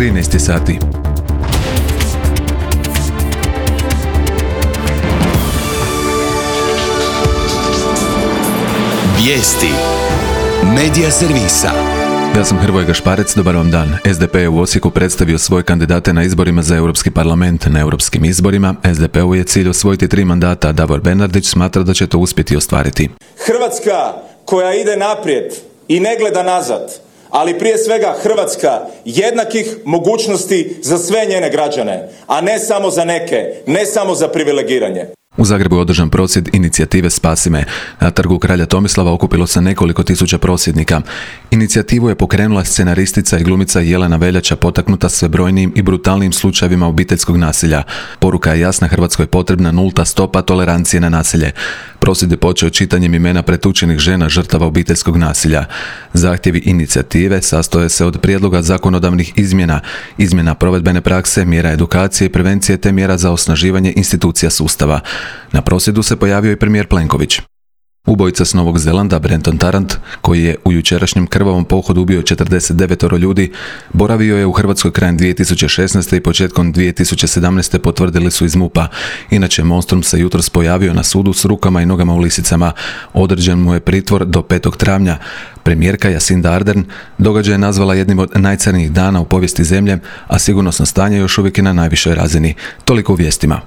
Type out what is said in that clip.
13 sati. Vijesti Medija servisa. Ja sam Hrvoje Gašparec, dobar vam dan. SDP je u Osijeku predstavio svoje kandidate na izborima za Europski parlament. Na europskim izborima SDP-u je cilj osvojiti 3 mandata, a Davor Bernardić smatra da će to uspjeti ostvariti. Hrvatska koja ide naprijed i ne gleda nazad, ali prije svega Hrvatska jednakih mogućnosti za sve njene građane, a ne samo za neke, ne samo za privilegiranje. U Zagrebu je održan prosvjed inicijative Spasi me. Na trgu Kralja Tomislava okupilo se nekoliko tisuća prosvjednika. Inicijativu je pokrenula scenaristica i glumica Jelena Veljača, potaknuta sve brojnijim i brutalnijim slučajevima obiteljskog nasilja. Poruka je jasna, Hrvatskoj je potrebna nulta stopa tolerancije na nasilje. Prosvjed je počeo čitanjem imena pretučenih žena žrtava obiteljskog nasilja. Zahtjevi inicijative sastoje se od prijedloga zakonodavnih izmjena provedbene prakse, mjera edukacije i prevencije te mjera za osnaživanje institucija sustava. Na prosvjedu se pojavio i premijer Plenković. Ubojica s Novog Zelanda, Brenton Tarrant, koji je u jučerašnjem krvavom pohodu ubio 49 ljudi, boravio je u Hrvatskoj krajem 2016. i početkom 2017. potvrdili su iz MUP-a. Inače, monstrum se jutros pojavio na sudu s rukama i nogama u lisicama. Određen mu je pritvor do 5. travnja. Premijerka Jacinda Ardern događaj je nazvala jednim od najcrnjih dana u povijesti zemlje, a sigurnosno stanje još uvijek je na najvišoj razini. Toliko u vijestima.